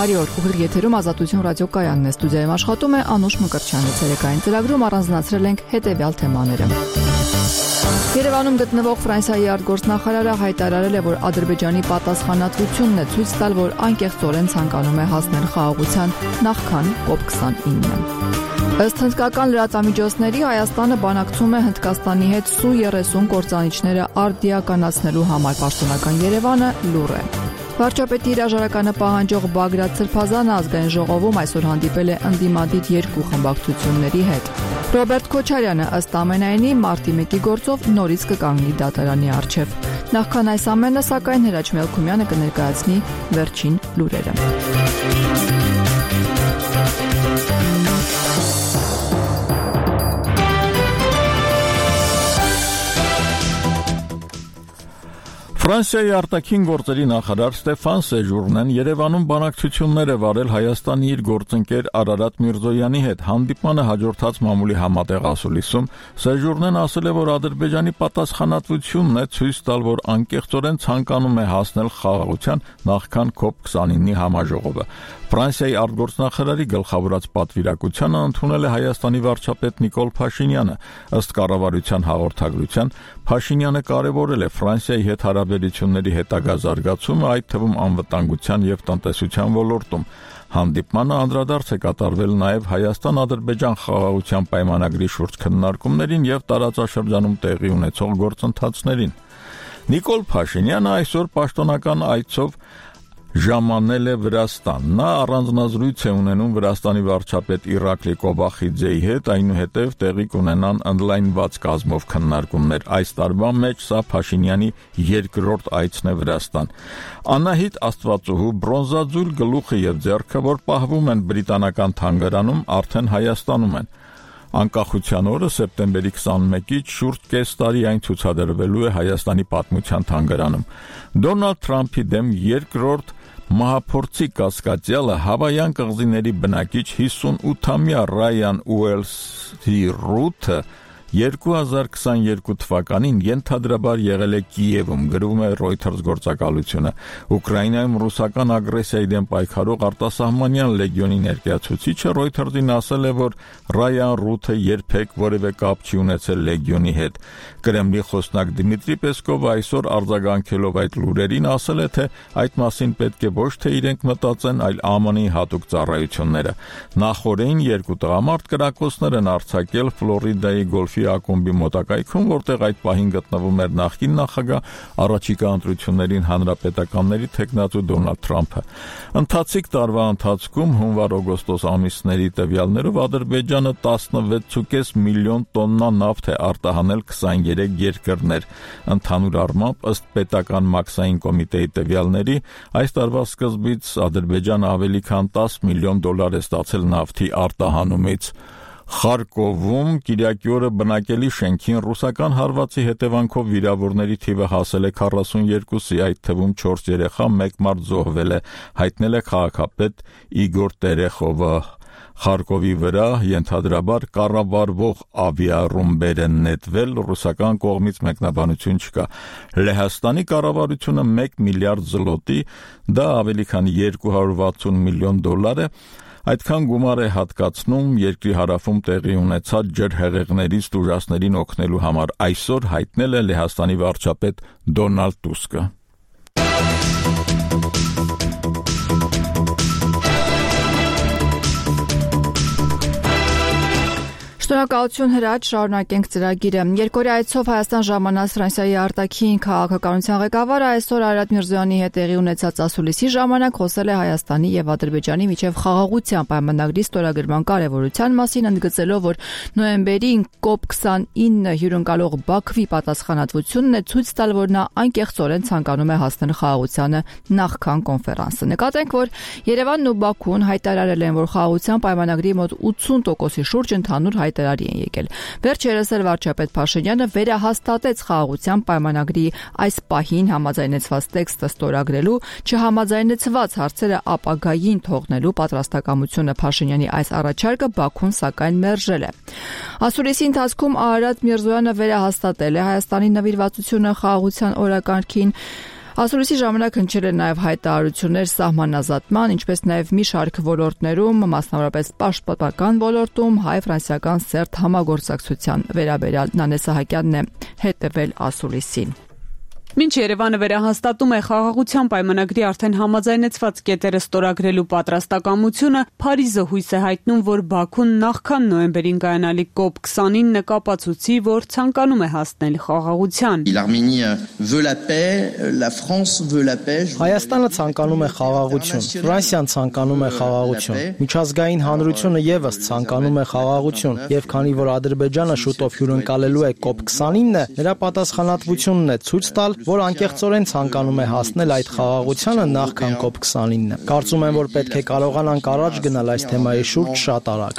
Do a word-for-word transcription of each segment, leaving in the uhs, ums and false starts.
Բարի օր, ուղիղ եթերում Ազատություն ռադիոկայանն է, ստուդիայում աշխատում է Անուշ Մկրտչյանը, ցերեկային ծրագրում առանձնացրել ենք հետևյալ թեմաները։ Երևանում գտնվող Ֆրանսիայի արտգործնախարարը հայտարարել է, որ Ադրբեջանի պատասխանատվությունն է ցույց տալ, որ անկեղծորեն ցանկանում է հասնել խաղաղության նախքան կոպ քսանինը։ Ըստ հնդկական լրատվամիջոցների Հայաստանը բանակցում է Հնդկաստանի հետ Սու երեսուն կործանիչները արդիականացնելու համար, պաշտոնական Երևանը լուռ է։ Վարչապետի հրաժարականը պահանջող Բագրատ Սրբազանը ազգային ժողովում այսօր հանդիպել է ընդդիմադիր երկու խմբակցությունների հետ։ Ռոբերտ Քոչարյանը ըստ ամենայնի մարտի մեկի գործով նորից կկանգնի դատարանի առջև։ Նախքան այս ամենը, սակայն Հրաչ Մելքումյանը կներկայացնի վերջին լուրերը։ Ֆրանսիայի արտաքին գործերի նախարար Ստեֆան Սեժուրնեն Երևանում բանակցություններ է վարել Հայաստանի իր գործընկեր Արարատ Միրզոյանի հետ։ Հանդիպմանը հաջորդած մամուլի համատեղ ասուլիսում Սեժուրնեն ասել է, որ Ադրբեջանի պատասխանատվությունն է ցույց տալ, որ անկեղծորեն ցանկանում է հասնել խաղաղության նախքան կոպ քսանինի համաժողովը։ Ֆրանսիայի արտգործնախարարի գլխավորած պատվիրակությանը ընդունել է Հայաստանի վարչապետ Նիկոլ Փաշինյանը։ Ըստ կառավարության հաղորդագրության, Փաշինյանը կարևորել է Ֆրանսիայի հետ հարաբերությունների հետագա զարգացումը, այդ թվում անվտանգության եւ տնտեսության ոլորտում։ Հանդիպմանը անդրադարձ է կատարվել նաև Հայաստան-Ադրբեջան խաղաղության պայմանագրի շուրջ քննարկումներին եւ տարածաշրջանում տեղի ունեցող գործընթացներին։ Նիկոլ Փաշինյանը այսօր պաշտոնական այցով ժամանել է Վրաստան։ Նա առանձնազրույց է ունենում Վրաստանի վարչապետ Իրակլի Կոբախիձեի հետ, այնուհետև տեղի կունենան ընդլայնված կազմով քննարկումներ։ Այս տարվա մեջ սա Փաշինյանի երկրորդ այցն է Վրաստան։ Անահիտ Աստվածուհու բրոնզաձուլ գլուխը եւ ձեռքը, որ պահվում են բրիտանական թանգարանում, արդեն Հայաստանում են։ Անկախության օրը սեպտեմբերի քսանմեկից շուրջ կես տարի այն ցուցադրվելու է Հայաստանի պատմության թանգարանում։ Դոնալդ Թրամփի դեմ երկրորդ մահափորձի կասկածյալը Հավայան կղզիների բնակիչ հիսունութամյա Ռայան Ուելսի Ռութը երկու հազար քսաներկու թվականին ենթադրաբար եղել է Կիևում, գրում է Reuters գործակալությունը։ Ուկրաինայում ռուսական ագրեսիայի դեմ պայքարող արտասահմանյան լեգիոնի ներկայացուցիչը Reuters-ին ասել է, որ Ռայան Ռութը երբեք որևէ կապ չի ունեցել լեգիոնի հետ։ Կրեմլի խոսնակ Դմիտրի Պեսկովը այսօր արձագանքելով այդ լուրերին ասել է, թե այդ մասին պետք է ոչ թե իրենք մտածեն, այլ Α M N-ի հատուկ ծառայությունները։ Նախորդին երկու տղամարդ կրակոցներ են արձակել Ֆլորիդայի գոլֆի ակումբի մոտակայքում, որտեղ այդ պահին գտնվում էր նախկին նախագահ, առաջիկա ընտրություններին հանրապետականների թեկնածու Դոնալդ Թրամփը։ Ընթացիկ տարվա ընթացքում հունվար-օգոստոս ամիսների տվյալներով Ադրբեջանը տասնվեց կես միլիոն տոննա նավթ է արտահանել քսաներեք երկրներ։ Ընդհանուր առմամբ, ըստ պետական մաքսային կոմիտեի տվյալների, այս տարվա սկզբից Ադրբեջանը ավելի քան տասը միլիոն դոլար է ստացել նավթի արտահանումից։ Խարկովում Կիրակի օրը բնակելի շենքին ռուսական հարվածի հետևանքով վիրավորների թիվը հասել է քառասունյոթի, այդ թվում չորս երեխա, մեկ մարդ զոհվել է, հայտնել է քաղաքապետ Իգոր Տերեխովը։ Խարկովի վրա ենթադրաբար կառավարվող ավիառումբեր են նետվել, ռուսական կողմից մեկնաբանություն չկա։ Լեհաստանի կառավարությունը մեկ միլիարդ զլոտի, դա ավելի քան երկու հարյուր վաթսուն միլիոն դոլար է, այդքան գումար է հատկացնում երկրի հարավում տեղի ունեցած ջրհեղեղներից տուժածներին օգնելու համար, այսօր հայտնել է Լեհաստանի վարչապետ Դոնալդ Տուսկը։ Շնորհակալություն Հրաչ, շարունակենք ծրագիրը։ Երկօրյա այցով Հայաստան ժամանած Ֆրանսիայի արտաքին քաղաքականության ղեկավարը այսօր Արարատ Միրզոյանի հետ տեղի ունեցած ասուլիսի ժամանակ խոսել է Հայաստանի եւ Ադրբեջանի միջև խաղաղության պայմանագրի ստորագրման կարեւորության մասին, ընդգծելով, որ նոյեմբերին կոպ քսանինը հյուրընկալող Բաքվի պատասխանատվությունն է ցույց տալ, որ նա անկեղծորեն ցանկանում է հասնել խաղաղությանը նախքան կոնֆերանսը։ Նկատենք, որ Երևանն ու Բաքուն հայտարարել են, որ խաղաղության պայմանագրի մոտ ութսուն տոկոսի շուրջ ընդհանուր հայտարարի են եկել։ Վերջերս էլ վարչապետ Փաշինյանը վերահաստատեց խաղաղության պայմանագրի այս պահին համաձայնեցված տեքստը ստորագրելու, չհամաձայնեցված հարցերը ապագային թողնելու պատրաստակամությունը Փաշինյանի այս առաջարկը Բաքուն սակայն մերժել է։ Ասուլիսի ընթացքում Արարատ Միրզոյանը վերահաստատել է Հայաստանի նվիրվածությունը խաղաղության օրակարգին, Ասուլիսի ժամանակ հնչել են նաև հայտարարություններ սահմանազատման, ինչպես նաև մի շարք ոլորտներում, մասնավորապես պաշտպանական ոլորտում, հայ-ֆրանսիական սերտ համագործակցության վերաբերյալ Նանե Սահակյանն է հետևել Ասուլիսին։ Մինչ Երևանը վերահաստատում է խաղաղության պայմանագրի արդեն համաձայնեցված կետերը ստորագրելու պատրաստակամությունը, Փարիզը հույս է հայտնում, որ Բաքուն նախքան նոյեմբերին կայանալիք կոպ քսանինը կապացուցի, որ ցանկանում է հասնել խաղաղության։ Հայաստանը ցանկանում է խաղաղություն, Ֆրանսիան ցանկանում է խաղաղություն, միջազգային հանրությունը եւս ցանկանում է խաղաղություն, եւ քանի որ Ադրբեջանը շուտով հյուրընկալելու է կոպ քսանինը, նրա պատասխանատվությունն է ցույց տալ, որ անկեղծորեն ցանկանում է հասնել այդ խաղաղությանը նախքան կոպ քսանինը։ Կարծում եմ, որ պետք է կարողանանք առաջ գնալ այս թեմայի շուրջ շատ արագ։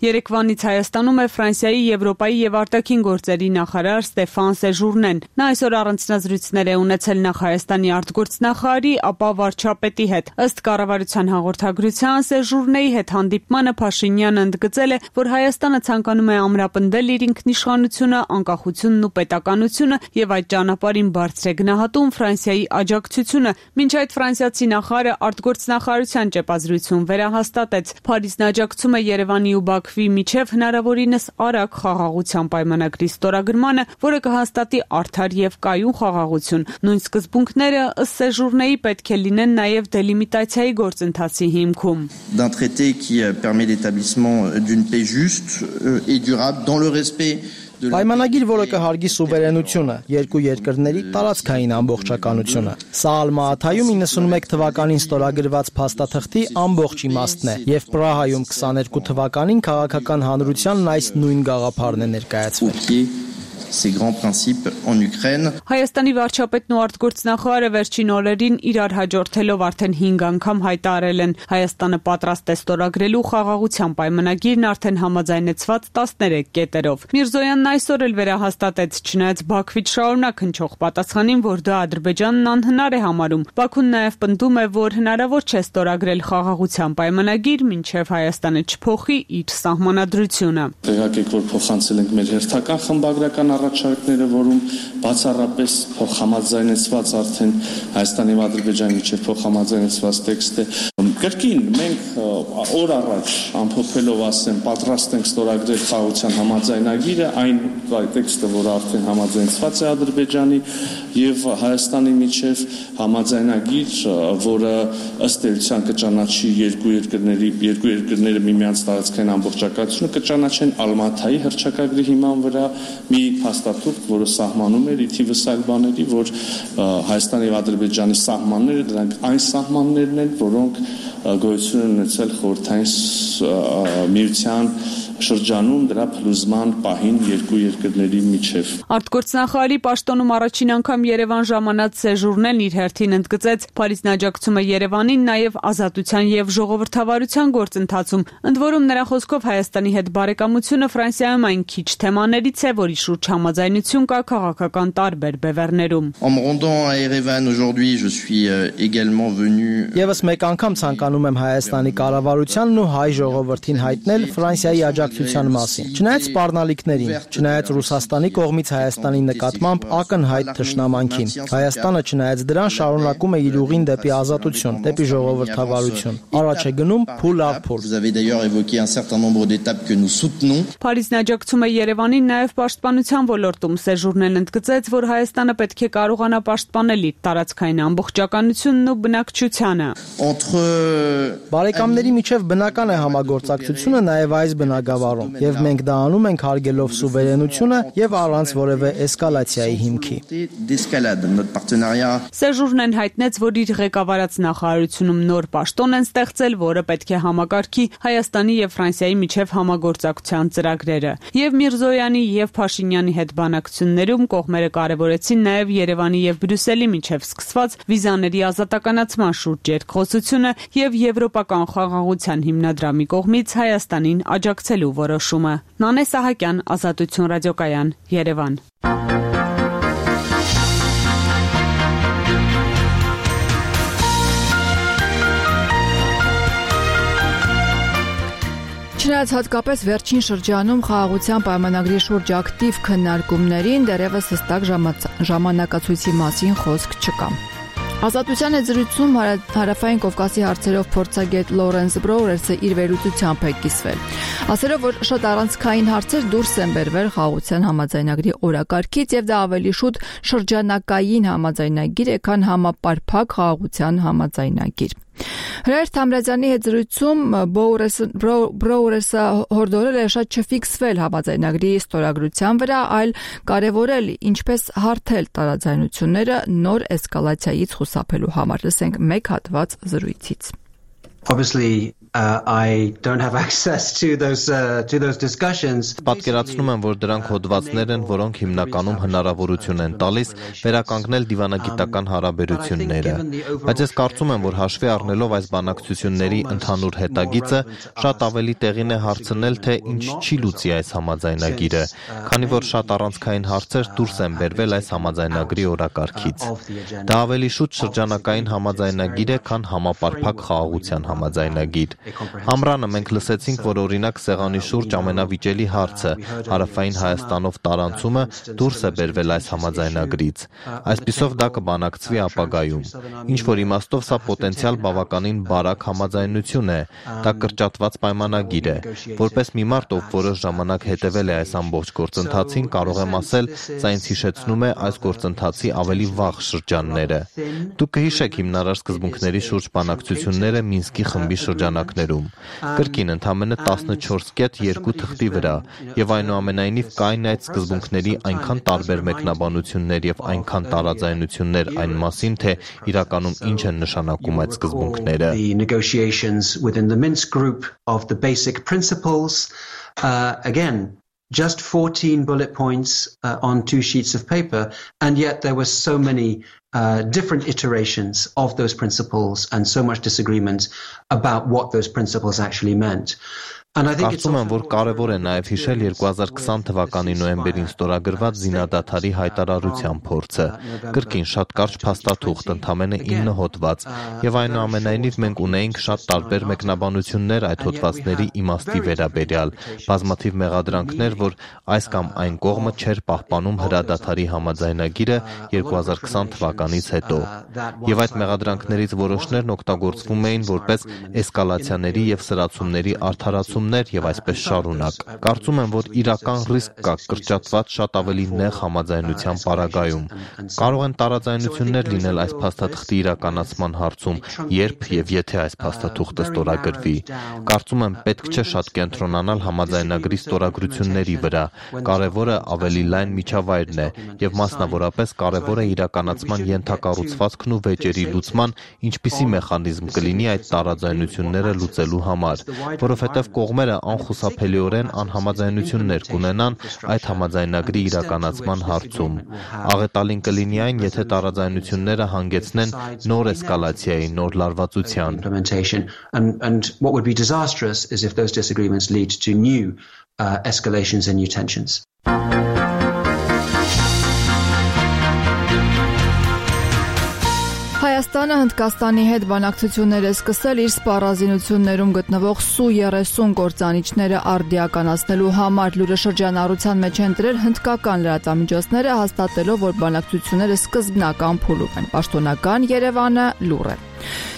Երեկվանից Հայաստանում է Ֆրանսիայի, Եվրոպայի եւ արտաքին գործերի նախարար Ստեֆան Սեժուրնեն։ Նա այսօր առանձնազրույցներ է ունեցել նախ Հայաստանի արտգործնախարարի, ապա վարչապետի հետ։ Ըստ կառավարության հաղորդագրության Սեժուրնեի հետ հանդիպմանը Փաշինյանը ընդգծել է, որ Հայաստանը ցանկանում է ամրապնդել իր ինքնիշխանությունը, անկախությունն ու պետականությունը եւ այդ ճանապարհին բարձր է գնահատում Ֆրանսիայի աջակցությունը։ Մինչ այդ ֆրանսիացի նախարարը արտգործնախարարության ճեպազրույցում վերահաստատեց, Փարիզն աջակցում է Երևանի ու Բաքվի միջև հնարավորինս արագ խաղաղության պայմանագրի ստորագրմանը, որը կհաստատի արդար եւ կայուն խաղաղություն։ Նույն սկզբունքները ըստ Սեժուրնեի պետք է լինեն նաեւ դելիմիտացիայի գործընթացի հիմքում։ D'un traité qui permet l'établissement d'une paix juste et durable dans le respect Պայմանագիր, որը կհարգի սուվերենությունը, երկու երկրների տարածքային ամբողջականությունը։ Սա Ալմաաթայում իննսունմեկ թվականին ստորագրված փաստաթղթի ամբողջ իմաստն է, եւ Պրահայում քսաներկու թվականին քաղաքական հանրությանն այս նույն գաղափարն է ներկայացվել։ ces grands principes en Ukraine. Հայաստանի վարչապետն ու արտգործնախարարը վերջին օրերին իրար հաջորդելով արդեն հինգ անգամ հայտարարել են Հայաստանը պատրաստ է ստորագրելու խաղաղության պայմանագիրն արդեն համաձայնեցված տասներեք կետերով։ Միրզոյանն այսօր էլ վերահաստատեց, չնայած Բաքվից շարունակ հնչող պատասխանին, որ դա Ադրբեջանն անհնար է համարում։ Բաքուն նաև պնդում է, որ հնարավոր չէ ստորագրել խաղաղության պայմանագիր, մինչև Հայաստանը չփոխի իր սահմանադրությունը։ Տեղեկեք, որ փոխանցել ենք մեր հերթական խմբագրական առաջարկները, որում բացառապես փոխհամաձայնեցված արդեն Հայաստանի եւ Ադրբեջանի միջև փոխհամաձայնեցված տեքստ է։ Կրկին մենք օր առաջ ամփոփելով ասեմ, պատրաստ ենք ստորագրել խաղաղության համաձայնագիրը, այն տեքստը, որը արդեն համաձայնեցված է Ադրբեջանի եւ Հայաստանի միջև համաձայնագիր, որը ըստ էության կճանաչի երկու երկրների երկու երկրները միմյանց տարածքային ամբողջականությունը կճանաչեն Ալմաթայի հռչակագրի հիման վրա մի փաստաթուղթ, որը սահմանում էր ի թիվս այլ բաների, որ Հայաստանի եւ Ադրբեջանի սահմանները դրանք այն սահմաններն են, որոնք գոյություն են ունեցել խորհրդային միության շրջանում դրա փլուզման պահին երկու երկրների միջև։ Արտգործնախարարի պաշտոնում առաջին անգամ Երևան ժամանած Սեժուրնեն իր հերթին ընդգծեց, Փարիզն աջակցում է Երևանին նաև ազատության եւ ժողովրդավարության գործընթացում։ Ընդ որում նրա խոսքով Հայաստանի հետ բարեկամությունը Ֆրանսիայում այն քիչ թեմաներից է, որի շուրջ համաձայնություն կա քաղաքական տարբեր բևեռներում։ En me rendant à Erevan aujourd'hui, je suis également venu Եվս մեկ անգամ ցանկանում եմ Հայաստանի կառավարությանն ու հայ ժողովրդին հայտնել Ֆրանսիայի աջակցության մասին։ Չնայած սպառնալիքներին, չնայած Ռուսաստանի կողմից Հայաստանի նկատմամբ ակնհայտ թշնամանքին, Հայաստանը չնայած դրան շարունակում է իր ուղին դեպի ազատություն, դեպի ժողովրդավարություն։ Առաջ է գնում փուլ առ փուլ։ Vous avez d'ailleurs évoqué un certain nombre d'étapes que nous soutenons. Փարիզն աջակցում է Երևանին նաև պաշտպանության ոլորտում։ Սեժուրնեն ընդգծեց, որ Հայաստանը պետք է կարողանա պաշտպանել իր տարածքային ամբողջականությունն ու բնակչությանը։ Entre Բարեկամների միջև բնական է համագործակցությունը նաև այս բնագավառում, եւ մենք դա անում ենք հարգելով սուվերենությունը եւ առանց որևէ էսկալացիայի հիմքի։ d'escalade notre partenariat. Սեժուրնեն հայտնեց, որ իր ղեկավարած նախարարությունում նոր պաշտոն են ստեղծել, որը պետք է համակարգի Հայաստանի եւ Ֆրանսիայի միջև համագործակցության ծրագրերը։ Եվ Միրզոյանի եւ Փաշինյանի հետ բանակցություններում կողմերը կարևորեցին նաեւ Երևանի եւ Բրյուսելի միջև սկսված վիզաների ազատականացման շուրջ երկխոսությունը եւ եվրոպական խաղաղության հիմնադրամի կողմից Հայաստանին աջակցելու որոշումը։ Նանե Սահակյան, Ազատություն ռադիոկայան, Երևան։ Չնայած հատկապես վերջին շրջանում խաղաղության պայմանագրի շուրջ ակտիվ քննարկումներին դեռևս հստակ ժամանակացույցի մասին խոսք չկա։ Ազատության հետ զրույցում Հարավային Կովկասի հարցերով փորձագետ Լորենս Բրոուրերսը իր վերլուծությամբ է կիսվել, ասելով, որ շատ առանցքային հարցեր դուրս են բերվել խաղաղության համաձայնագրի օրակարգից եւ դա ավելի շուտ շրջանակային համաձայնագիր է, քան համապարփակ խաղաղության համաձայնագիր։ Հրայր Թամրազյանի հետ զրույցում Բրոուրերսը հորդորել է շատ չֆիքսվել համաձայնագրի ստորագրության վրա, այլ կարևորել ինչպես հարթել տարաձայնությունները նոր էսկալացիայից խուսափելու համար։ Լսենք մեկ հատված զրույցից։ Obviously uh, I don't have access to those uh, to those discussions. Պատկերացնում եմ, որ դրանք հոդվածներ են, որոնք հիմնականում հնարավորություն են տալիս վերականգնել դիվանագիտական հարաբերությունները։ Բայց ես կարծում եմ, որ հաշվի առնելով այս բանակցությունների ընդհանուր հետագիծը, շատ ավելի տեղին է հարցնել, թե ինչ չի լուծի այս համաձայնագիրը, քանի որ շատ առանցքային հարցեր դուրս են բերվել այս համաձայնագրի օրակարգից։ Դա ավելի շուտ շրջանակային համաձայնագիր է, քան համապարփակ խաղաղության համաձայնագիր։ Ամռանը մենք լսեցինք, որ օրինակ սեղանի շուրջ ամենավիճելի հարցը Հարավային Հայաստանով տարանցումը դուրս է բերվել այս համաձայնագրից։ Այսպիսով դա կբանակցվի ապագայում։ Ինչ որ իմաստով սա պոտենցիալ բավականին բարակ համաձայնություն է, դա կրճատված պայմանագիր է։ Որպես մի մարդ, ով որոշ ժամանակ հետևել է այս ամբողջ գործընթացին, կարող եմ ասել, սա ինձ հիշեցնում է այս գործընթացի ավելի վաղ շրջանները։ Դուք կհիշեք հիմնարար սկզբունքների շուրջ բանակցությունները Մինսկի խմբի շրջանակներում։ Կրկին ընդամենը տասնչորս կետ երկու թղթի վրա, եւ այնուամենայնիվ կային այդ սկզբունքների այնքան տարբեր մեկնաբանություններ եւ այնքան տարաձայնություններ այն մասին, թե իրականում ինչ են նշանակում այդ սկզբունքները։ The negotiations within the Minsk group of the basic principles uh, again just fourteen bullet points uh, on two sheets of paper, and yet there were so many uh, different iterations of those principles and so much disagreement about what those principles actually meant. Կարծում եմ, որ կարևոր է նաև հիշել երկու հազար քսան թվականի նոյեմբերին ստորագրված զինադադարի հայտարարության փորձը։ Կրկին շատ կարճ փաստաթուղթ, ընդամենը ինը հոդված, եւ այնուամենայնիվ մենք ունեինք շատ տարբեր մեկնաբանություններ այդ հոդվածների իմաստի վերաբերյալ, բազմաթիվ մեղադրանքներ, որ այս կամ այն կողմը չէր պահպանում հրադադարի համաձայնագիրը երկու հազար քսան թվականից հետո։ Եվ այդ մեղադրանքներից որոշներն օգտագործվում էին որպես էսկալացիաների եւ սրացումների արդարացում եւ այսպես շարունակ։ Կարծում եմ, որ իրական ռիսկ կա կրճատված շատ ավելի նեղ համաձայնության պարագայում։ Կարող են տարաձայնություններ լինել այս փաստաթղթի իրականացման հարցում, երբ եւ եթե այս փաստաթուղթը ստորագրվի։ Կարծում եմ, պետք չէ շատ կենտրոնանալ համաձայնագրի ստորագրությունների վրա։ Կարևորը ավելի լայն միջավայրն է եւ մասնավորապես կարևոր է իրականացման ենթակառուցվածքն ու վեճերի լուծման ինչպիսի մեխանիզմ կլինի այդ տարաձայնությունները լուծելու համար, որովհետեւ կողմերը անխուսափելիորեն անհամաձայնություններ կունենան այդ համաձայնագրի իրականացման հարցում։ Աղետալին կլինի այն, եթե տարաձայնությունները հանգեցնեն նոր էսկալացիայի, նոր լարվածության։ And and what would be disastrous is if those disagreements lead to new uh, escalations and new tensions. Հայաստանը Հնդկաստանի հետ բանակցություններ է սկսել իր սպառազինություններում գտնվող Սու երեսուն գործանիչները արդիականացնելու համար։ Լուրը շրջանառության մեջ են դրել հնդկական լրատվամիջոցները, հաստատելով, որ բանակցությունները սկզբնական փուլում են։ Պաշտոնական Երևանը լուր է։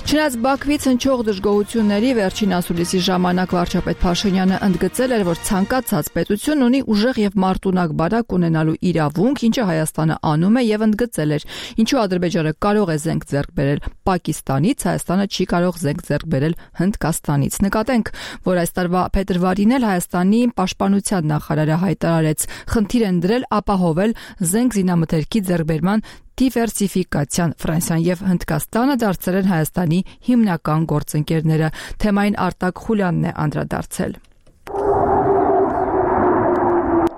Չնայած Բաքվից հնչող դժգոհությունների վերջին ասուլիսի ժամանակ վարչապետ Փաշինյանը ընդգծել էր, որ ցանկացած պետություն ունի ուժեղ եւ մարտունակ բարակ ունենալու իրավունք, ինչը Հայաստանը անում է, եւ ընդգծել էր, ինչու Ադրբեջանը կարող է զենք ձեռք բերել Պակիստանից, Հայաստանը չի կարող զենք ձեռք բերել Հնդկաստանից։ Նկատենք, որ այս տարվա փետրվարին էլ Հայաստանի պաշտպանության նախարարը հայտարարեց, խնդիր են դրել ապահովել զենք զինամթերքի ձեռքբերման դիվերսիֆիկացիան։ Ֆրանսիան եւ Հնդկաստանը դարձել են Հայաստանի հիմնական գործընկերները։ Թեմային Արտակ Խուլյանն է անդրադարձել։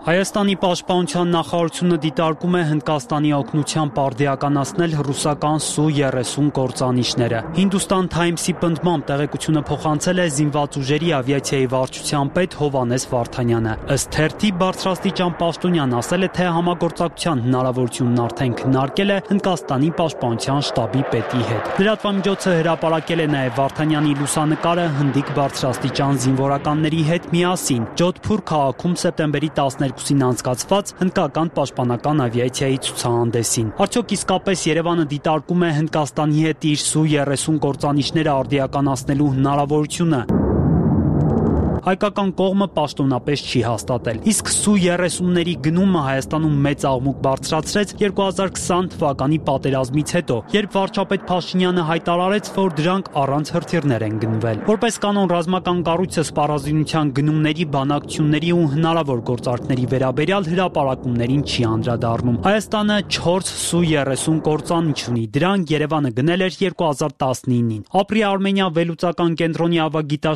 Հայաստանի պաշտպանության նախարարությունը դիտարկում է Հնդկաստանի օգնությամբ արդիականացնել ռուսական Սու երեսուն կործանիչները։ Hindustan Times-ի պնդմամբ տեղեկությունը փոխանցել է զինված ուժերի ավիացիայի վարչության պետ Հովհաննես Վարդանյանը։ Ըստ թերթի բարձրաստիճան պաշտոնյան ասել է, թե համագործակցության հնարավորությունն արդեն քննարկել է Հնդկաստանի պաշտպանության շտաբի պետի հետ։ Լրատվամիջոցը հրապարակել է նաև Վարդանյանի լուսանկարը հնդիկ բարձրաստիճան զինվորականների հետ միասին Ջոդհփուր քաղաքում սեպտեմբերի տասներկուսին անցկացված հնդկական պաշտպանական ավիացիայի ցուցահանդեսին։ Արդյոք իսկապես Երևանը դիտարկում է Հնդկաստանի հետ իր Սու երեսուն կործանիչները արդիականացնելու հնարավորությունը։ Հայկական կողմը պաշտոնապես չի հաստատել։ Իսկ Սու երեսունների գնումը Հայաստանում մեծ աղմուկ բարձրացրեց երկու հազար քսան թվականի պատերազմից հետո, երբ վարչապետ Փաշինյանը հայտարարեց, որ դրանք առանց հրթիռներ են գնվել։ Որպես կանոն, ռազմական կառույցը սպառազինության գնումների, բանակցությունների ու հնարավոր գործարքների վերաբերյալ հրապարակումներին չի անդրադառնում։ Հայաստանը չորս Սու երեսուն կործանիչ ունի։ Դրանք Երևանը գնել էր երկու հազար տասնինին։ Ապրի Արմենիա վերլուծական կենտրոնի ավագիտ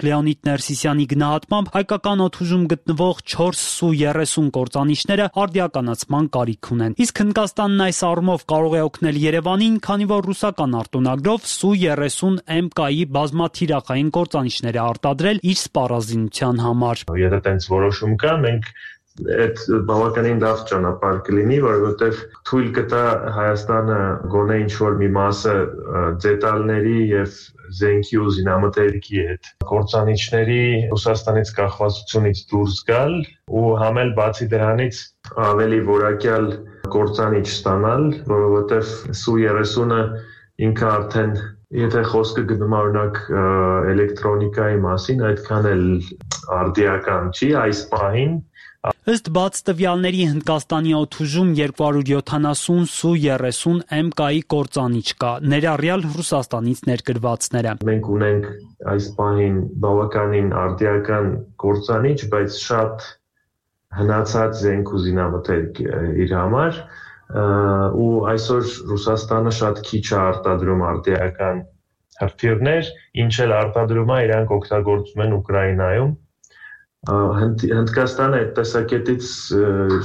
Լեոնիդ Ներսիսյանը գնահատմամբ հայկական օդուժում գտնվող չորս Սու երեսուն կործանիչները արդիականացման կարիք ունեն։ Իսկ Հնդկաստանն այս առումով կարող է օգնել Երևանին, քանի որ ռուսական արտոնագրով Սու երեսուն Էմ Կայի բազմաթիրախային կործանիչներ է արտադրել իր սպառազինության համար։ Եթե տենց որոշում կա, մենք այդ բավականին լավ ճանապարհ կլինի, որովհետև թույլ կտա Հայաստանը գոնե ինչ-որ մի մասը դետալների եւ զենքի ու զինամթերքի հետ կործանիչների Ռուսաստանից կախվածությունից դուրս գալ ու համել բացի դրանից ավելի որակյալ կործանիչ ստանալ, որովհետև Սու երեսունը ինքը արդեն եթե խոսքը գնում օրինակ էլեկտրոնիկայի մասին, այդքան էլ արդիական չի այս պահին։ Ըստ բաց տվյալների Հնդկաստանի օդուժում երկու հարյուր յոթանասուն Սու երեսուն Էմ Կայի կործանիչ կա, ներառյալ Ռուսաստանից ներկրվածները։ Մենք ունենք այս պահին բավականին արդիական կործանիչ, բայց շատ հնացած զենք ու զինամթերք իր համար, ու այսօր Ռուսաստանը շատ քիչ է արտադրում արդիական հրթիռներ, ինչ էլ արտադրում է, իրանք օգտագործում են Ուկրաինայում։ Հնդկաստանը այդ տեսակետից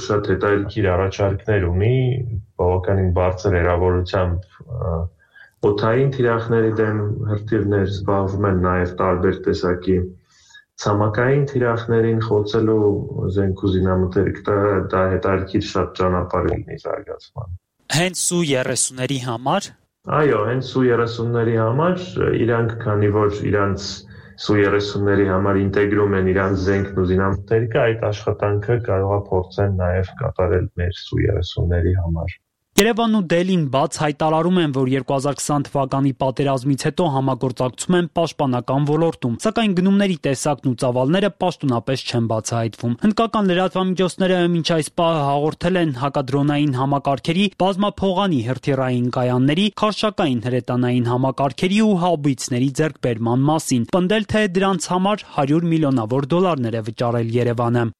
շատ հետաքրքիր առաջարկներ ունի, բավականին բարձր հեռավորությամբ օդային թիրախների դեմ հրթիռներ զբաղվում են, նաև տարբեր տեսակի ցամաքային թիրախներին խոցելու զենք ու զինամթերք, դա հետաքրքիր շատ ճանապարհ լինի զարգացման։ Հենց Սու երեսունների համար։ Այո, հենց Սու երեսունների համար, իրանք քանի որ իրանց Սու երեսունների համար ինտեգրում են իրանց զենքն ու զինամթերքը, այդ աշխատանքը կարող է փորձեն նաև կատարել մեր Սու երեսունների համար։ Երևանն ու Դելին բաց հայտարարում են, որ երկու հազար քսան թվականի պատերազմից հետո համագործակցում են պաշտպանական ոլորտում, սակայն գնումների տեսակն ու ծավալները պաշտոնապես չեն բացահայտվում։ Հնդկական լրատվամիջոցները մինչ այս պահը հաղորդել են հակադրոնային համակարգերի, բազմափողանի հրթիռային կայանների, քարշակային հրետանային համակարգերի ու հաուբիցների ձեռքբերման մասին, պնդել, թե դրանց համար հարյուր միլիոնավոր դոլարներ է վճարել Երևանը։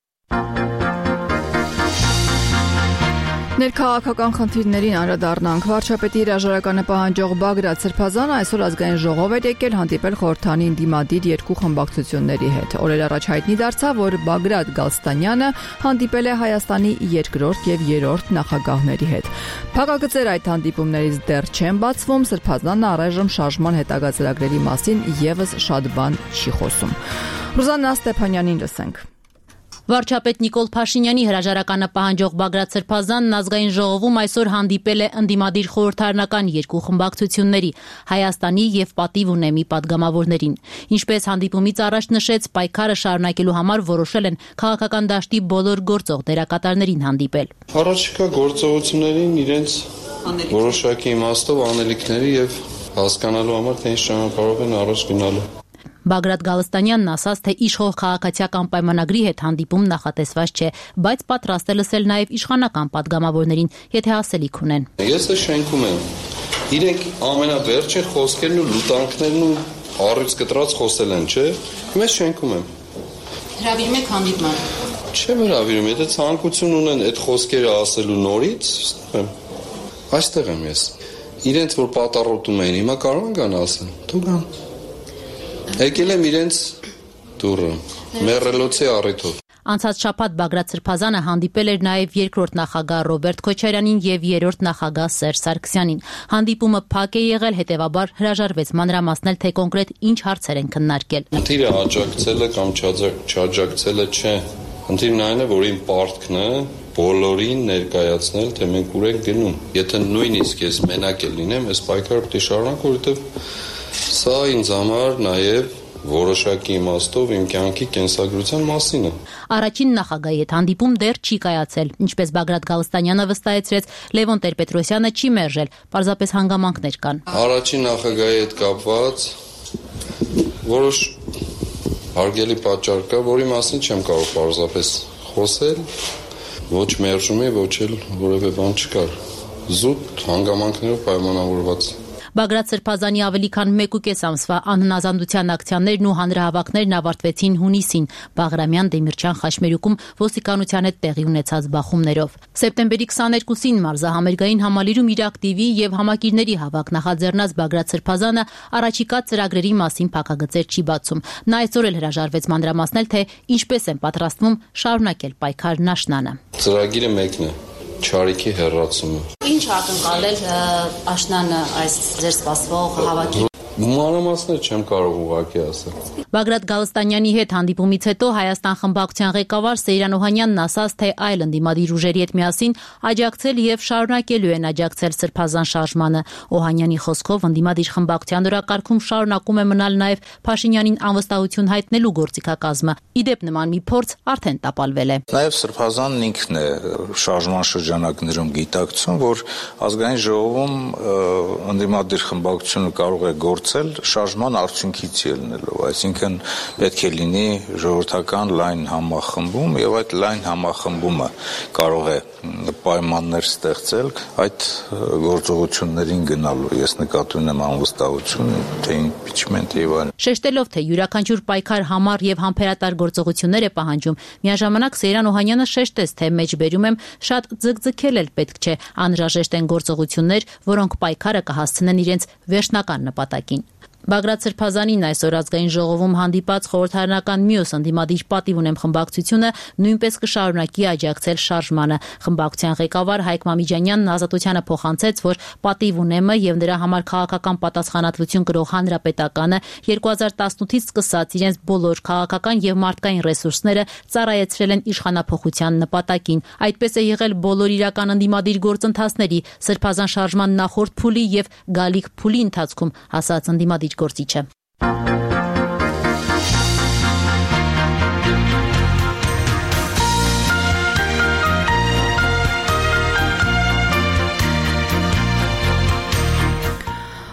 Ներքաղաքական խնդիրներին անդրադառնանք։ Վարչապետի հրաժարականը պահանջող Բագրատ Սրբազանը այսօր ազգային ժողով էր եկել հանդիպել խորհրդանի ընդդիմադիր երկու խմբակցությունների հետ։ Օրեր առաջ հայտնի դարձավ, որ Բագրատ Գալստանյանը հանդիպել է Հայաստանի երկրորդ եւ երրորդ նախագահների հետ։ Փակագծեր այդ հանդիպումներից դեռ չեն բացվում, Սրբազանը առայժմ շարժման հետագա ծրագրերի մասին եւս շատ բան չի խոսում։ Ռուզաննա Ստեփանյանին լսենք։ Վարչապետ Նիկոլ Փաշինյանի հրաժարականը պահանջող Բագրատ Սրբազանն ազգային ժողովում այսօր հանդիպել է ընդդիմադիր խորհրդարանական երկու խմբակցությունների՝ Հայաստանի եւ Պատիվ ունեմի падգամավորներին։ Ինչպես հանդիպումից առաջ նշեց, պայքարը շարունակելու համար որոշել են քաղաքական դաշտի բոլոր գործող դերակատարներին հանդիպել։ Առաջիկա գործողություններին իրենց որոշակի իմաստով անելիքների եւ հասկանալու համար թե ինչ ճանապարհով են առաջ գնալու։ Բագրատ Գալստանյանն ասաց, թե իշխող քաղաքացիական պայմանագրի հետ հանդիպում նախատեսված չէ, բայց պատրաստ է լսել նաև իշխանական падգամավորներին, եթե ասելիք ունեն։ Ես է շենքում եմ։ Իրենք ամենավերջին խոսքերն ու լուտանքներն ու առյուծ կտրած խոսել են, չէ՞։ Ես շենքում եմ։ Հրավիրում եք հանդիպման։ Չեմ հրավիրում, եթե ցանկություն ունեն այդ խոսքերը ասելու նորից, այստեղ եմ ես։ Իրենց որ պատառոտում էին, հիմա կարող են գան ասեն, դու գան։ Եկել եմ իրենց դուրը, մեռելոցի առիթով։ Անցած շաբաթ Բագրատ Սրբազանը հանդիպել էր նաև երկրորդ նախագահ Ռոբերտ Քոչարյանին եւ երրորդ նախագահ Սերժ Սարգսյանին։ Հանդիպումը փակ է եղել, հետեւաբար հրաժարվեց մանրամասնել, թե կոնկրետ ինչ հարցեր են քննարկել։ Խնդիրը աջակցելը կամ չաջակցելը չէ։ Խնդիրն այն է, որ իմ պարտքն է բոլորին ներկայացնել, թե մենք ուր ենք գնում։ Եթե նույնիսկ ես մենակ լինեմ, այս պայքարը պետք է շարունակեմ, որովհետեւ սա ինձ համար նաև որոշակի իմաստով իմ կյանքի կենսագրության մասին է։ Առաջին նախագահի հետ հանդիպում դեռ չի կայացել, ինչպես Բագրատ Գալստանյանը վստահեցրեց, Լևոն Տեր-Պետրոսյանը չի մերժել, պարզապես հանգամանքներ կան։ Առաջին նախագահի հետ կապված որոշ հարգելի պատճառ կա, որի մասին չեմ կարող պարզապես խոսել, ոչ մերժումի, ոչ էլ որևէ բան չկար։ Զուտ հանգամանքներով պայմանավորված։ Բագրատ Սրբազանի ավելի քան մեկ ու կես ամսվա անհնազանդության ակցիաներն ու հանրահավաքներն ավարտվեցին հունիսին Բաղրամյան Դեմիրճյան խաչմերուկում ոստիկանության հետ տեղի ունեցած բախումներով։ Սեպտեմբերի քսաներկուսին մարզահամերգային համալիրում իր ակտիվի եւ համակիրների հավաք նախաձեռնած Բագրատ Սրբազանը առաջիկա ծրագրերի մասին փակագծեր չի բացում։ Նա այսօր էլ հրաժարվեց մանրամասնել, թե ինչպես են պատրաստվում շարունակել պայքարն աշնանը։ Ծրագիրը մեկն է՝ Չարիքի հեռացումը։ Ինչ ակնկալել աշնանը այս ձեր սպասվող հավաքի։ Մանրամասներ չեմ կարող ուղղակի ասել։ Բագրատ Գալստանյանի հետ հանդիպումից հետո Հայաստան խմբակցության ղեկավար Սեյրան Օհանյանն ասաց, թե այլ ընդդիմադիր ուժերի հետ միասին աջակցել եւ շարունակելու են աջակցել Սրբազան շարժմանը։ Օհանյանի խոսքով ընդդիմադիր խմբակցության օրակարգում շարունակում է մնալ նաեւ Փաշինյանին անվստահություն հայտնելու գործիքակազմը։ Իդեպ նման մի փորձ արդեն տապալվել է։ Նաեւ Սրբազանն ինքն է շարժման շրջանակներում գիտակցում, որ ազգային ժողովում ընդդիմադիր խմբակցությունը կարող է գործել շարժման արդյունքից ելնելով, այսինքն պետք է լինի ժողովրդական լայն համախմբում եւ այդ լայն համախմբումը կարող է պայմաններ ստեղծել այդ գործողություններին գնալու։ Ես նկատի ունեմ անվստահություն, թե իմպիչմենտ եւ այլն։ Շեշտելով, թե յուրաքանչյուր պայքար համառ եւ համբերատար գործողություններ է պահանջում, միաժամանակ Սեյրան Օհանյանը շեշտեց, թե մեջբերում եմ շատ ձգձգել էլ պետք չէ, անհրաժեշտ են գործողություններ, որոնք պայքարը կհասցնեն իրենց վերջնական նպատակին։ Բագրատ Սրբազանին այսօր ազգային ժողովում հանդիպած խորհրդարանական մյուս ընդդիմադիր պատիվ ունեմ խմբակցությունը նույնպես կշարունակի աջակցել շարժմանը։ Խմբակցության ղեկավար Հայկ Մամիջանյանն Ազատությանը փոխանցեց, որ պատիվ ունեմը եւ նրա համար քաղաքական պատասխանատվություն կրող հանրապետականը երկու հազար տասնութից սկսած իրենց բոլոր քաղաքական եւ մարդկային ռեսուրսները ծառայեցրել են իշխանափոխության նպատակին։ Այդպես է եղել բոլոր իրական ընդդիմադիր գործընթացների, Սրբազան շարժման նախորդ փուլի եւ գալիք փուլի ընթացքում, ասաց ընդդիմադիր գործիչը։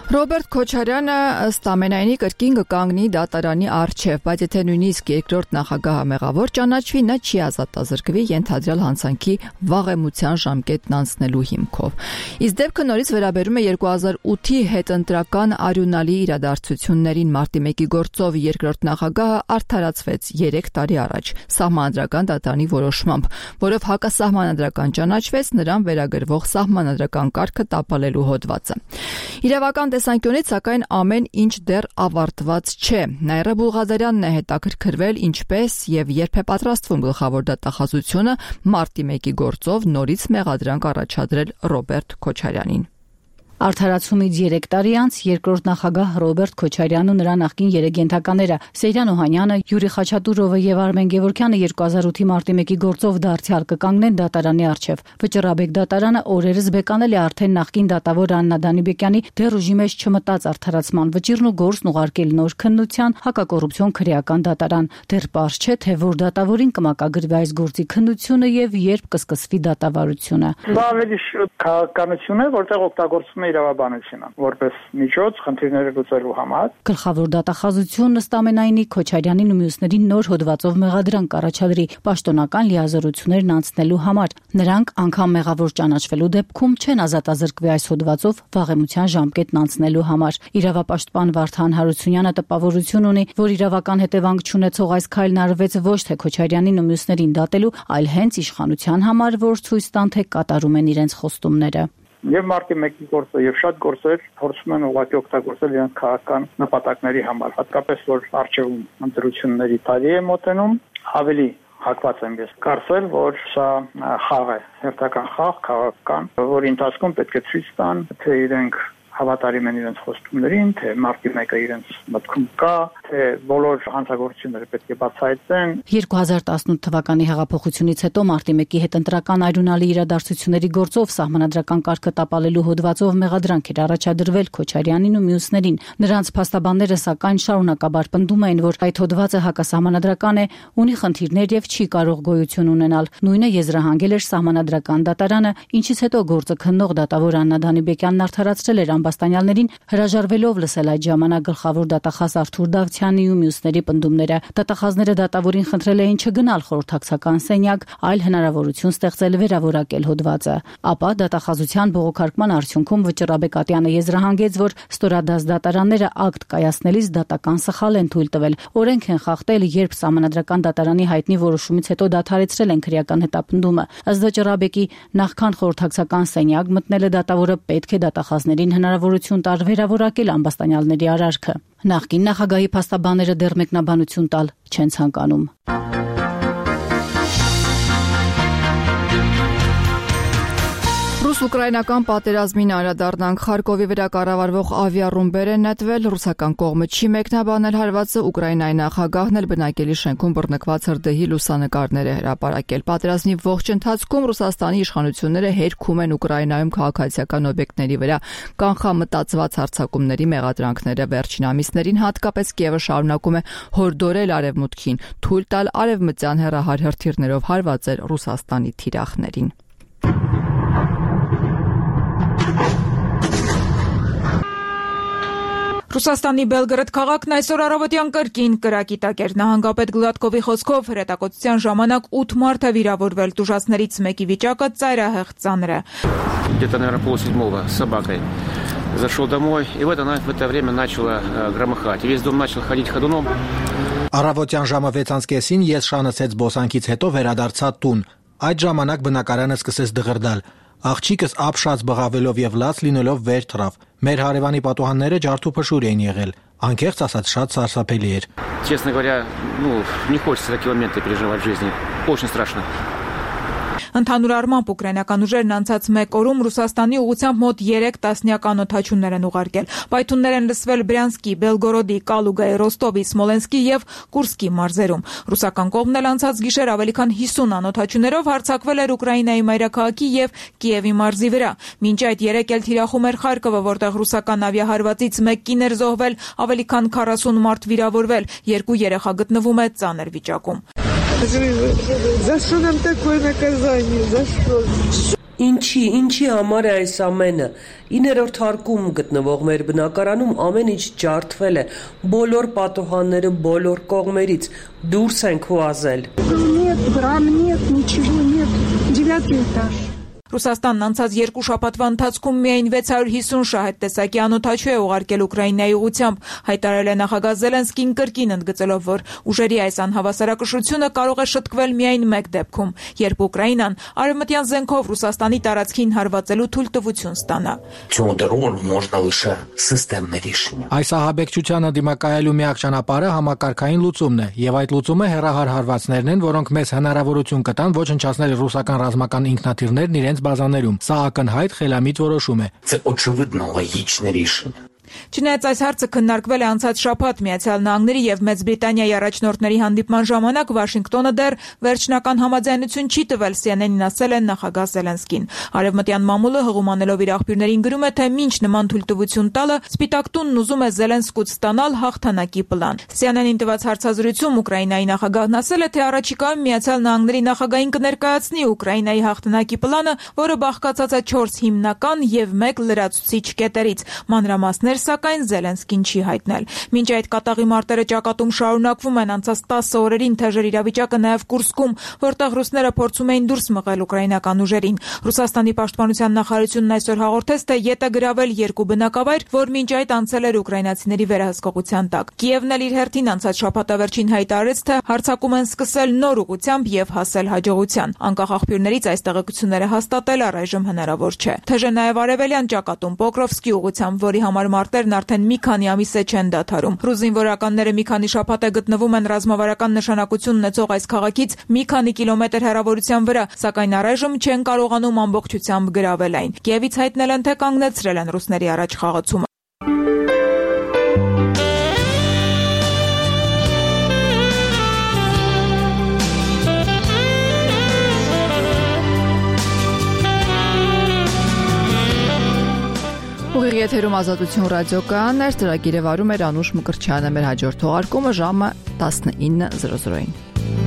Ռոբերտ Քոչարյանը ըստ ամենայնի կրկին կկանգնի դատարանի առջև, բայց եթե նույնիսկ երկրորդ նախագահը մեղավոր ճանաչվի, նա չի ազատազրկվի ենթադրյալ հանցանքի վաղեմության ժամկետն անցնելու հիմքով։ Իսկ դեպքը նորից վերաբերում է երկու հազար ութի հետընտրական արյունալի իրադարձություններին։ Մարտի մեկի գործով երկրորդ նախագահը արդարացվեց երեք տարի առաջ սահմանադրական դատարանի որոշմամբ, որով հակասահմանադրական ճանաչվեց նրան վերագրվող սահմանադրական կարգը տապալելու հոդվածը։ Իրավական տեսանկյունից սակայն ամեն ինչ դեռ ավարտված չէ։ Նաիրա Բուլղազարյանն է հետաքրքրվել ինչպես եւ երբ է պատրաստվում գլխավոր դատախազությունը մարտի մեկի գործով նորից մեղադրանք առաջադրել Ռոբերտ Քոչարյանին։ Արդարացումից երեք տարի անց երկրորդ նախագահ Ռոբերտ Քոչարյանն ու նրա նախկին երեգենթականները Սեյրան Օհանյանը, Յուրի Խաչատուրովը եւ Արմեն Գևորգյանը երկու հազար ութի մարտի մեկի գործով դարձյալ կկանգնեն դատարանի առջև։ Վճռաբեկ դատարանը օրերս բեկանել է արդեն նախկին դատավոր Աննա Դանիբեկյանի դեռ ուժի մեջ չմտած արդարացման վճիռն ու գործն ուղարկել նոր քննության հակակոռուպցիոն քրեական դատարան։ Դեռ պարզ չէ, թե որ դատավորին կմակագրվի այս գործի քննությունը եւ երբ կսկսվի դատավարությունը։ Դա ավելի շուտ քաղաքականություն է, որտեղ օգտագործվում իրավաբանությունը որպես միջոց խնդիրները լուծելու համար։ Գլխավոր դատախազությունն ըստ ամենայնի Քոչարյանին ու մյուսներին նոր հոդվածով մեղադրանք կառաջադրի պաշտոնական լիազորություններն անցնելու համար։ Նրանք անգամ մեղավոր ճանաչվելու դեպքում չեն ազատազրկվի այս հոդվածով վաղեմության ժամկետն անցնելու համար։ Իրավապաշտպան Վարդան Հարությունյանը տպավորություն ունի, որ իրավական հետևանք չունեցող այս քայլն արվեց ոչ թե Քոչարյանին ու մյուսներին դատելու, այլ հենց իշխանության համար, որ ցույց տան, թե կատարում են իրենց խոստումները։ Եվ մարտի մեկի գործը եւ շատ գործեր փորձում են ուղղակի օգտագործել իրենց քաղաքական նպատակների համար, հատկապես որ արժեվում ընտրությունների տարի է մոտենում, ավելի հակված եմ ես կարծել, որ սա խաղ է, հերթական խաղ, քաղաքական, որի ընթացքում պետք է ցույց տան, թե իրենք հավատարիմ են իրենց խոստումներին, թե մարտի մեկը իրենց մտքում կա, թե բոլոր հանցագործությունները պետք է բացահայտվեն։ երկու հազար տասնութ թվականի հեղափոխությունից հետո մարտի մեկի հետ ընտրական այրունալի իրադարձությունների գործով սահմանադրական կարգը տապալելու հոդվածով մեղադրանք էր առաջադրվել Քոչարյանին ու մյուսներին։ Նրանց փաստաբանները սակայն շարունակաբար պնդում էին, որ այդ հոդվածը հակասահմանադրական է, ունի խնդիրներ եւ չի կարող գոյություն ունենալ։ Նույնը եզրահանգել էր սահմանադրական դատարանը, ինչից հետո գործը քննող դատավոր Աննա Դանիբեկյանն արդարացրել էր ամբաստանյալներին, հրաժարվելով լսել այդ ժամանակ գլխավոր դատախազ Արթուր Դավթյանի ու մյուսների պնդումները։ Դատախազները դատավորին խնդրել էին չգնալ խորհրդակցական սենյակ, այլ հնարավորություն ստեղծել վերավորակել հոդվածը։ Ապա դատախազության բողոքարկման արդյունքում Վճռաբեկատյանը եզրահանգեց, որ ստորադաս դատարանները ակտ կայացնելիս դատական սխալ են թույլ տվել, օրենք են խախտել, երբ սահմանադրական դատարանի հայտնի որոշումից հետո դադարեցրել են քրեական հետապնդումը։ Ըստ Վճռաբեկի, նախքան խորհրդակցական սենյակ մտնելը դատավորը պետք է դատախազներին հնարավորություն տար վերավորակել ամբաստանյալների արարքը։ Նախկին նախագահի փաստաբանները դեռ մեկնաբանություն տալ չեն ցանկանում։ Ռուս-ուկրաինական պատերազմին անդրադառնանք Խարկովի վրա կառավարվող ավիառումբեր են նետվել, ռուսական կողմը չի մեկնաբանել հարվածը, Ուկրաինայի նախագահն էլ բնակելի շենքում բռնկված հրդեհի լուսանկարներ է հրապարակել։ Պատերազմի ողջ ընթացքում Ռուսաստանի իշխանությունները հերքում են Ուկրաինայում քաղաքացիական օբյեկտների վրա կանխամտածված հարձակումների մեղադրանքները։ Վերջին ամիսներին հատկապես Կիևը շարունակում է հորդորել Արևմուտքին թույլ տալ արևմտյան հեռահար հրթիռներով հարվածել Ռուսաստանի թիրախներին։ Ռուսաստանի Բելգրադ քաղաքն այսօր առավոտյան կրկին կրակի տակ էր։ Նահանգապետ Գլադկովի խոսքով հրետակոծության ժամանակ ութ մարդ է վիրավորվել, տուժածներից մեկի վիճակը ծայրահեղ ծանր է։ Где-то, наверное, полседьмого с собакой зашел домой, и в это, в это время начало громыхать. Весь дом начал ходить ходуном. Առավոտյան ժամը վեցից կեսին ես շանացեց բոսանքից հետո վերադարձա տուն։ Այդ ժամանակ բնակարանը սկսեց դղրդալ։ Աղջիկս ապշած բղավելով եւ լաց լինելով վեր թռավ։ Մեր հարևանի պատուհանները ջարդուփշուր էին եղել։ Անկեղծ ասած շատ սարսափելի էր։ Честно говоря, ну, не хочется такие моменты переживать в жизни. Очень страшно. Ընդհանուր առմամբ ուկրաինական ուժերն անցած մեկ օրում Ռուսաստանի ուղղությամբ մոտ երեք տասնյակ անօթաչուներ են ուղարկել։ Պայթուններ են լսվել Բրյանսկի, Բելգորոդի, Կալուգայի, Ռոստովի, Սմոլենսկի եւ Կուրսկի մարզերում։ Ռուսական կողմն էլ անցած գիշեր ավելի քան հիսուն անօթաչուներով հարձակվել էր Ուկրաինայի մայրաքաղաքի եւ Կիևի մարզի վրա։ Մինչ այդ երեք էլ թիրախում էր Խարկովը, որտեղ ռուսական ավիահարվածից մեկ կին էր զոհվել, ավելի քան քառասուն մարդ վիրավորվել, երկու երեխա գտնվում է ծանր վիճակում։ За что нам такое наказание? За что? Ինչի, ինչի համար է այս ամենը։ իններորդ հարկում գտնվող մեր բնակարանում ամեն ինչ ջարդվել է, բոլոր պատուհանները բոլոր կողմերից դուրս են քուազել։ Нет, брам нет, ничего нет. Девятый этаж. Ռուսաստանն անցած երկու շաբաթվա ընթացքում միայն վեց հարյուր հիսուն շահեդ տեսակի անօթաչու է ուղարկել Ուկրաինայի ուղղությամբ, հայտարարել է նախագահ Զելենսկին կրկին ընդգծելով, որ ուժերի այս անհավասարակշռությունը կարող է շտկվել միայն մեկ դեպքում, երբ Ուկրաինան արևմտյան զենքով Ռուսաստանի տարածքին հարվածելու թույլտվություն ստանա։ Այս ահաբեկչությանը դիմակայելու միակ ճանապարհը համակարգային լուծումն է, եւ այդ լուծումը հեռահար հարվածներն են, որոնք մեզ հնարավորություն կտան ոչնչացնել ռուսական ռազմական ինքնաթիռներն իրենց բազաներում։ Սա ակնհայտ խելամիտ որոշում է։ Це очевидно логічне рішення. Չնայած այս հարցը քննարկվել է անցած շաբաթ Միացյալ Նահանգների եւ Մեծ Բրիտանիայի առաջնորդների հանդիպման ժամանակ, Վաշինգտոնը դեռ վերջնական համաձայնություն չի տվել, Սի Էն Էն-ին ասել է նախագահ Զելենսկին։ Արևմտյան մամուլը հղումանելով իր աղբյուրներին գրում է, թե մինչ նման թույլտվություն տալը Սպիտակ տունն ուզում է Զելենսկուց ստանալ հաղթանակի պլան։ Սի Էն Էն-ին տված հարցազրույցում Ուկրաինայի նախագահն ասել է, թե առաջիկայում Միացյալ Նահանգների նախագահին կներկայացնի Ուկրաինայի հաղթանակի պլանը, որը բաղկացած է չորս հիմնական եւ մեկ լրացուցիչ կետերից։ Մանրամասներ սակայն Զելենսկին չի հայտնել։ Մինչ այդ կատաղի մարտերը ճակատում շարունակվում են, անցած տասը օրերին թեժ էր իրավիճակը նաև Կուրսկում, որտեղ ռուսները փորձում էին դուրս մղել ուկրաինական ուժերին։ Ռուսաստանի պաշտպանության նախարարությունն այսօր հաղորդեց, թե ետ է գրավել երկու բնակավայր, որ մինչ այդ անցել էր ուկրաինացիների վերահսկողության տակ։ Կիևն էլ իր հերթին անցած շաբաթավերջին հայտարարեց, թե հարձակում են սկսել նոր ուղղությամբ եւ հասել հաջողության։ Անկախ աղբյուրներից այս տեղեկությունները հաստատել առայժմ հնարավոր չէ։ Թեժ է նաև արևելյան ճակատում Պոկրովսկի ուղղությամբ, որի համար մարտերն արդեն մի քանի ամիս է չեն դադարում։ Ռուս զինվորականները մի քանի շաբաթ է գտնվում են ռազմավարական նշանակություն ունեցող այս քաղաքից մի քանի կիլոմետր հեռավորության վրա, սակայն առայժմ չեն կարողանում ամբողջությամբ գրավել այն։ Կիևից հայտնել են, թե կանգնեցրել են ռուսների առաջ խաղացումը։ Ուղիղ եթերում Ազատություն ռադիոկայանն էր, ծրագիրը վարում էր Անուշ Մկրտչյանը, մեր հաջորդ թողարկումը ժամը տասնինը զրո զրոին։